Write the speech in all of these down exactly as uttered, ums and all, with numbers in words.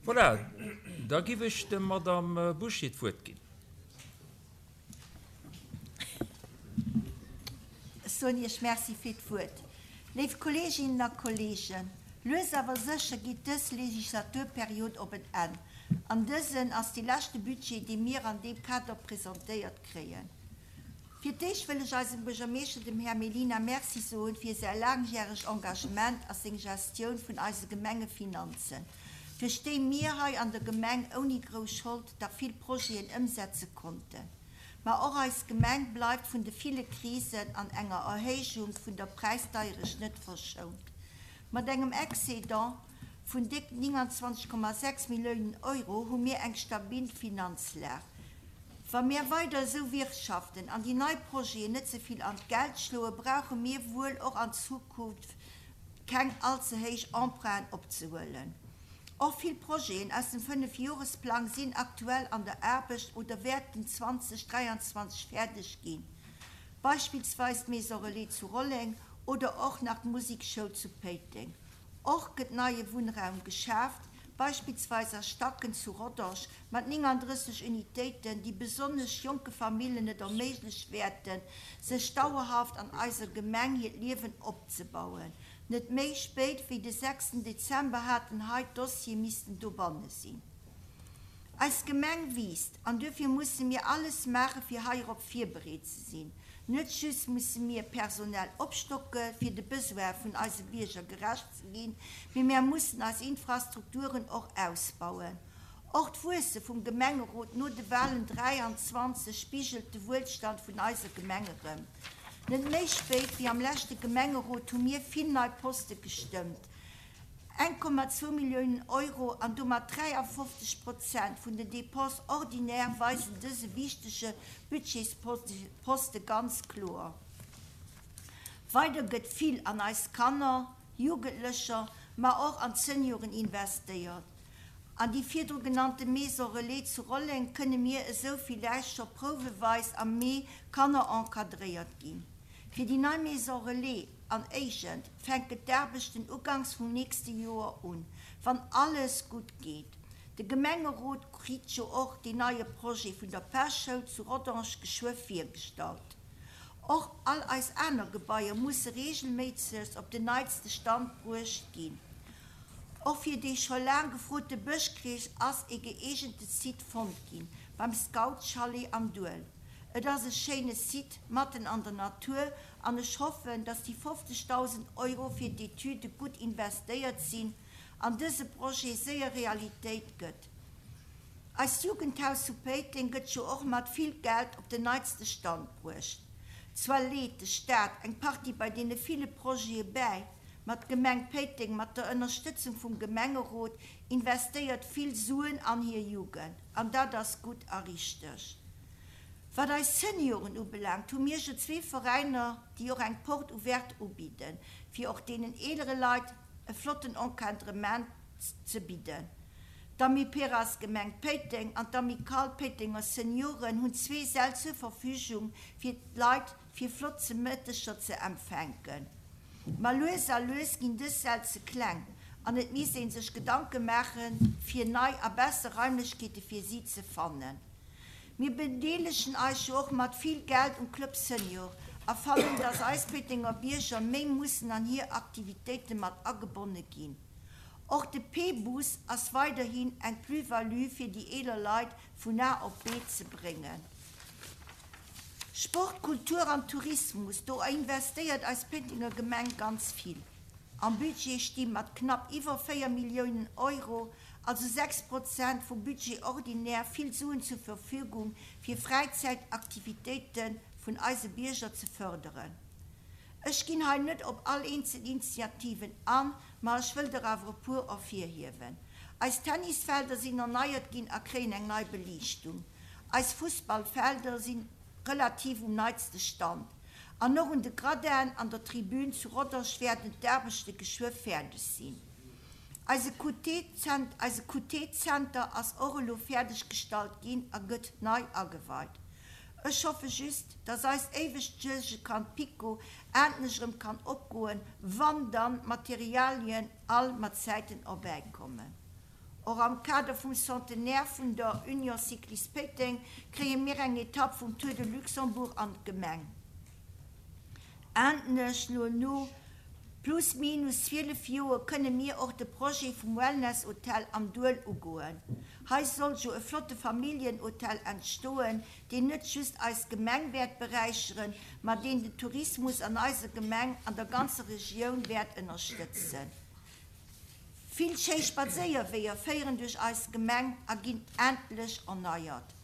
Voilà, da giff ech der Madame Bouché d'Wuert ginn. Ech soen Iech Merci fir d'Wuert. Léif Kolleeginnen a Kolleegen, lues awer sécher geet dës Legislaturperiod op en Enn. An dësen ass dee leschte Budget, dee mir an deem Kader presentéiert kréien. Fir d'éischt wëll ech eisem Buergermeeschter, dem Här Mellina, Merci soen fir säi laangjäregt Engagement a seng Gestioun vun eise Gemengefinanzen, duerch déi mir hei an der Gemeng ouni grouss Schold dach vill Projeten ëmsetze konnten. Ma och eis Gemeng bleift vun de ville Krisen an enger Erhéijung vun der Präisdeierecht net verschount. Mat engem Excédent vun déck nénganzwanzeg Komma sechs Milliounen Euro hu mir eng stabil Finanzlag. Wa mir weider esou wirtschaften an déi nei Projeten net ze vill an d'Geld schloen, brauche mir wuel och an Zukunft keng all ze héich Emprunten opzehuelen. Och vill Projeten aus dem Fënnefjoresplang sinn aktuell an der Aarbecht oder wäerten zwanzeg dräianzwanzeg fäerdeg ginn, beispillsweis d'Maison Relais zu Rolleng oder och nach d'Musekschoul zu Péiteng. Och gëtt neie Wunnraum geschaaft, beispillsweis a Stacken zu Rodange mat néngandrësseg Unitéiten, déi besonnesch jonke Famillen et erméigleche wäerten, sech dauerhaft an eiser Gemeng hiert Liewen opzebauen. Net méi spéit wéi de sechsten Dezember haten hei d'Dossiere missten dobanne sinn. Eis Gemeng wiisst an duerfir musse mir alles maache fir heirop virbereet ze sinn. Net just musse mir personell opstocke fir de Besoine vun eise Bierger gerecht ze ginn, mee mär mussen eis Infrastrukturen och ausbauen. Och d'Wuesse vum Gemengerot no de Walen dräianzwanzeg spigelt de Wuelstand vun eiser Gemeng erëm. Net méi spéit wéi am leschte Gemengerot hu mir vill nei Poste gestëmmt, eng Komma zwou Milliounen Euro an domat dräiafofzeg Prozent vun den Dépenses ordinaires weisen dëse wichtege Budgetsposte ganz kloer. Weider gëtt vill an eis Kanner, Jugendlecher, ma och an d'Senioren investéiert. An déi virdru genannte Maison Relais zu Rolleng kënne mir esou villäicht scho prouweweis am Mee Kanner encadréiert ginn. Fir déi nei Maison Relais an Éigent fänken d'Aarbechten uganks vum nächste Joer un, wann alles gutt geet. De Gemengerot kritt jo och deen neie Projet vun der Päschoul zu Rodange geschwë virgestallt. Och all eis aner Gebaier musse reegelméisseg op den neitste Stand bruecht ginn. Och fir dee scho laang gefrote Bëschkrees ass e gëeegente Site fonnt ginn, beim Scoutschalet am Duel. Et ass e schéine Site matten an der Natur an ech hoffen, dass déi fofzegdausend Euro fir d'Etüde gutt investéiert sinn an dëse Projet séier Realitéit gëtt. Eist Jugendhaus zu Péiteng gëtt jo och mat vill Geld op den neitste Stand bruecht. Zwar leet de Staat eng Partie bei deene ville Projete bäi, ma d'Gemeng Péiteng mat der Ënnerstëtzung vum Gemengerot investéiert vill Suen an hir Jugend an dat ass gutt a richteg. Wat eis Senioren ubelaangt, hu mir jo zwee Veräiner, déi och eng Porte ouverte ubidden, fir och deenen eelere Leit e flotten Encadrement ze bidden. D'Amiperas Gemeng Péiteng an d'Amicale Péitenger Senioren hunn zwee Säll zur Verfügung, fir d'Leit fir flott Zemëtteger ze empfänken. Ma lues a lues ginn dës Säll ze kleng an et misst ee sech Gedanke maachen, fir nei a besser Raimlechkeete fir si ze fannen. Mir bedeelegen eis jo och mat vill Geld um Club Senior a fannen, dass eis Péitenger Bierger méi mussen an hir Aktivitéite mat agebonne ginn. Och de P-Bus ass weiderhin eng Plus-value fir déi eeler Leit vun A op B ze bréngen. Sport, Kultur an Tourismus, do investéiert eis Péitenger Gemeng ganz vill. Am Budget sti mat knapp iwwer véier Milliounen Euro, also sechs Prozent vum Budget ordinaire, vill Suen zur Verfügung, fir Fräizäitaktivitéite vun eise Bierger ze fërderen. Ech ginn hei net op all eenzel Initiativen an, ma ech wëll der awer e puer ervirhiewen. Eis Tennisfelder sinn erneiert ginn a kréien eng nei Beliichtung. Eis Fussballfelder si relativ um neitste Stand. An och un de Gradinen an der Tribün zu Rodange wäerten d'Aarbechte geschwë fäerdeg sinn. Eise Q T-Zenter ass och elo fäerdeg gestallt ginn a gëtt nei ageweit. Ech hoffe just, dass eist éiwegt Suergekand PiKo endlech erëm kann opgoen, wann dann d'Materialien all mat Zäiten erbäikommen. Och am Kader vum Centenaire vun der Union Cycliste Péiteng kréie mir eng Etapp vum Tour de Luxembourg an d'Gemeng. Endlech lo no plus minus zwielef Joer kënne mir och de Projet vum Wellness-Hotel am Duel ugoen. Hei soll jo e flotte Familienhotel entstoen, deen net just eis Gemeng wäert beräicheren, ma deen den Tourismus an eiser Gemeng an der ganzer Regioun wäert ënnerstëtzen. Vill schéi Spadséierweeër féieren duerch eis Gemeng a ginn endlech erneiert.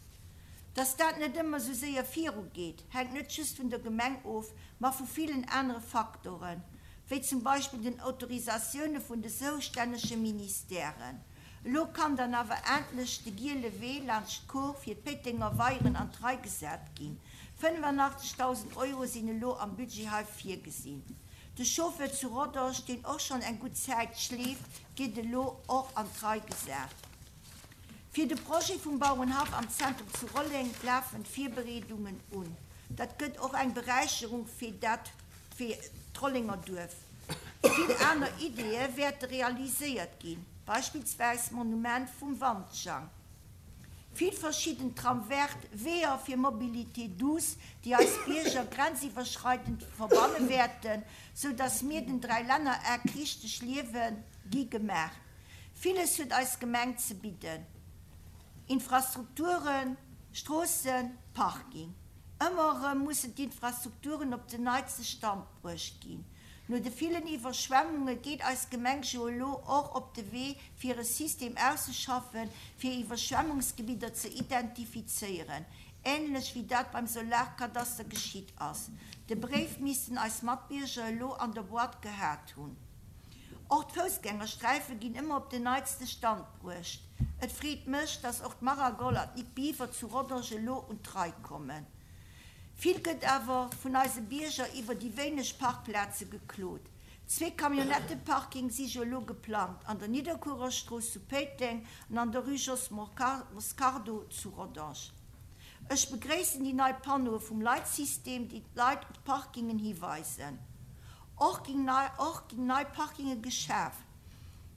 Dass dat net ëmmer sou séier virugeet, hänkt net just vun der Gemeng of, ma vu villen anere Faktoren, wéi zum Beispill den Autorisatioune vun de zoustännege Ministèren. Elo kann dann awer endlech de giele Wee laanscht d'Kor fir d'Péitenger Weieren an d'Rei gesat ginn. fënnefanachtzeghdausend Euro sinn elo am Budget hei virgesinn. De Chauffeur zu Rodange, deen och schonn eng gutt Zäit schleeft, gétt elo och an d'Rei gesat. Fir de Projet vum Bauerenhaff am Zentrum zu Rolleng lafen d'Virbereedungen un. Dat gëtt och eng Beräicherung fir dat fir d'Rollenger Duerf. Vill aner Ideeë wäerte realiséiert ginn, beispillsweis d'Monument vum Wandschang. Vill verschidden Trame verte, Weeër fir Mobilité douce, déi eis Bierger grenziwwerschreidend verbanne wäerten, sou dass mir den Dräilännereck richteg liewe gi gemaach. Villes huet eis Gemeng ze bidden, Infrastrukturen, Stroossen, Parking. Ëmmer erëm mussen d'Infrastrukturen op den neitste Stand bruecht ginn. No de villen Iwwerschwemmunge geet eis Gemeng jo elo och op de Wee fir e System auszeschaffen, fir Iwwerschwemmungsgebidder ze identifizéieren, änlech wéi dat beim Solarkadaster geschitt ass. De Bréif missten eis Matbierger elo an der Boîte gehat hunn. Och d'Foussgängersträife ginn ëmmer op den neitste Stand bruecht. Et freet mech, dass och d'Maragol an d'Nicke Biwer zu Rodange elo un d'Rei kommen. Vill gëtt awer vun eise Bierger iwwer déi wéineg Parkplaze geklot. Zwee Camionnetteparking si jo elo geplangt, an der Nidderkuererstrooss zu Péiteng an an der Rue Jos Moscardo zu Rodange. Ech begréissen déi nei Panneaue vum Leitsystem, déi d'Leit op d'Parkingen hiweisen. Och ginn nei och ginn nei Parkinge geschaf,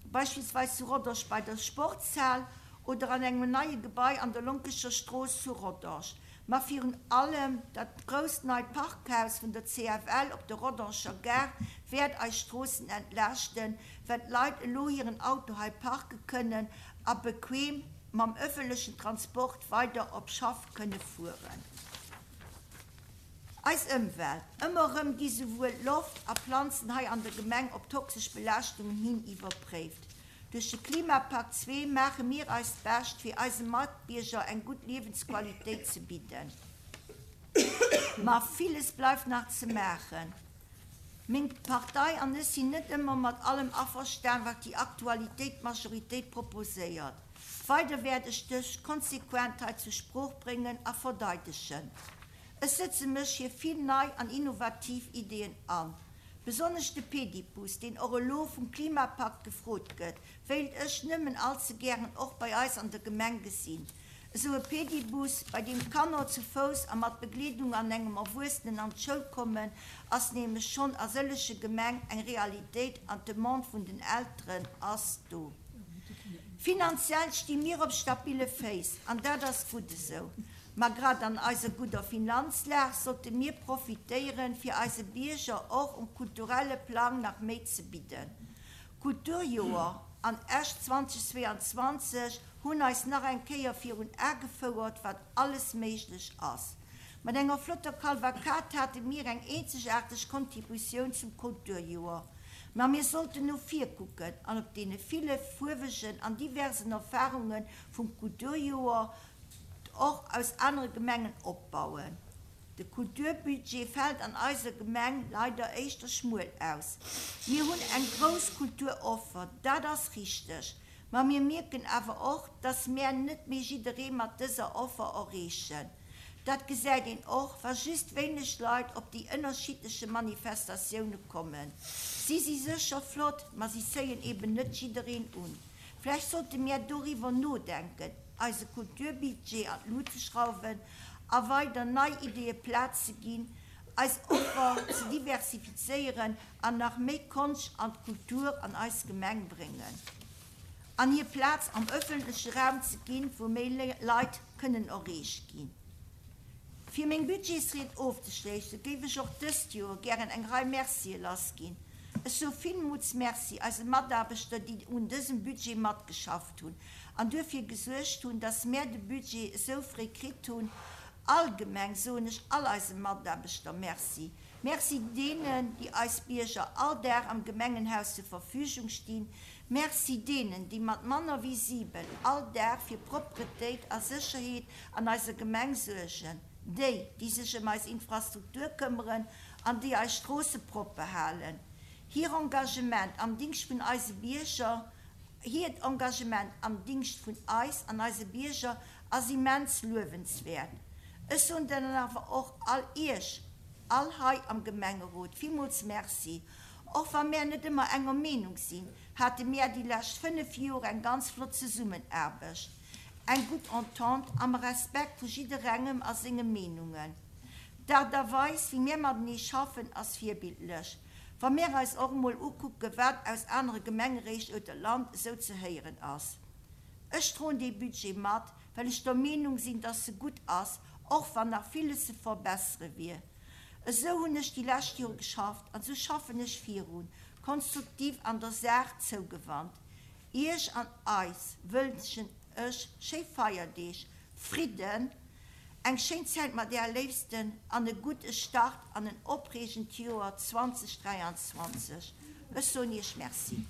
beispillsweis zu Rodange bei der Sportshal oder an engem neie Gebai an der Lonkecher Strooss zu Rodange. Ma virun allem dat grousst neit Parkhaus vun der C F L op der Rodanger Gare wäert eis Stroossen entlaaschten, well d'Leit elo hiren Auto hei parke kënnen a bequem mam ëffentlechen Transport weider op Schaff kënne fueren. Eis Ëmwelt. Ëmmer erëm gi souwuel Loft a Planzen hei an der Gemeng op toxesch Belaaschtungen hin iwwerpréift. Duerch de Klimapakt zwee maache mir eist Bescht, fir eise Matbierger eng gutt Liewensqualitéit ze bidden. Ma villes bleift nach ze maachen. Meng Partei an ech sinn net ëmmer mat allem averstan, wat déi Aktualitéit Majoritéit proposéiert. Weider wäert ech dech konsequent hei zur Sprooch bréngen a verdeidegen. Ech setze mech fir vill nei an innovativ Ideeën an. Besonnesch de Pedibus, deen och elo vum Klimapakt gefrot gëtt, wéilt ech nëmmen allze gären och bei eis an der Gemeng gesinn. Esou e Pedibus, bei deem d'Kanner zu Fouss a mat Begleedung an engem Erwuessenen an d'Schoul kommen, ass nämlech schonn a sëllege Gemeng eng Realitéit an d'Demande vun den Elteren ass do. Finanziell sti mir op stabile Féiss an dat ass gutt esou. Ma grad an eiser gudder Finanzlag sollte mir profitéieren, fir eise Bierger och um kulturelle Plang nach méi ze bidden. Kulturjoer an Esch zweitausendzweiundzwanzeg hunn eis nach eng Kéier virun Ae gefouert, wat alles méiglech ass. Mat enger flotter Kavalkad hate mir eng eenzegaarteg Kontributioun zum Kulturjoer. Ma mir sollten no vir kucken an op deene ville fuerwegen an diversen Erfarunge vum Kulturjoer och aus anere Gemengen opbauen. De Kulturbudget fält an eiser Gemeng leider éischter schmuel aus. Mir hunn eng grouss Kulturoffer, dat ass richteg. Ma mir mierken awer och, dass mir net méi jidderee mat dëser Offer erreechen. Dat gesäit een och, wa just wéineg Leit op déi ënnerschiddleche Manifestatioune kommen. Si si sécher flott, ma si zéien eben net jiddereen un. Vläicht sollte mir doriwwer nodenken, eise Kulturbudget an d'Lut ze schrauwen a weider nei Ideeë Plaz ze ginn, eis Offer ze diversifizéieren an nach méi Konscht an d'Kultur an eis Gemeng bréngen. an hir Plaz am ëffentleche Raum ze ginn, wou méi Leit kënnen erreecht ginn. Fir meng Budgetsried ofzeschléissen, géif ech och dëst Joer gären eng Rei Mercie lassginn. Ech soe villmools Merci eise Mataarbechter, déi un dësem Budget matgeschafft hunn an duerfir gesuergt hunn, dass mär de Budget esou fréi kritt hunn. Allgemeng soen ech all eise Mataarbechter Merci. Merci deenen, déi eis Bierger all Dag am Gemengenhaus zur Verfügung stinn. Merci deenen, déi mat manner wéi siwen all Dag fir Propretéit a Sécherheet an eiser Gemeng suergen. Déi, déi sech ëm eis Infrastruktur këmmeren an déi eis Stroosse propper halen. Hir Engagement am Dingscht vun eise Bierger, hiert Engagement am Dingscht vun eis an eise Bierger ass immens luewenswäert. Ech soen dann awer och all Iech, all hei am Gemengerot, villmools Merci. Och wa mär net ëmmer enger Meenung sinn, hate mär déi lescht fënnef Joer eng ganz flott Zesummenaarbecht, eng gutt Entente am Respekt vu jidderengem a senge Meenungen. D'Aart a Weis, wéi mär matenee schaffen, ass virbildlech, wa mär eis och emol ukucken, wat aus anere Gemengeréit oder Land esou ze héieren ass. Ech droen dee Budget mat, well ech der Meenung sinn, dass e gutt ass, och wann nach villes ze verbessere wier. Esou hunn ech déi lescht Jore geschafft an esou schaffen ech virun, konstruktiv an der Saach zougewannt. Iech an eis wënschen ech schéi Feierdeeg, Fridden, eng schéin Zäit mat Äre Léifsten an e gudde Start an en opreegend Joer zweitausenddräianzwanzeg. Ech soen Iech Merci.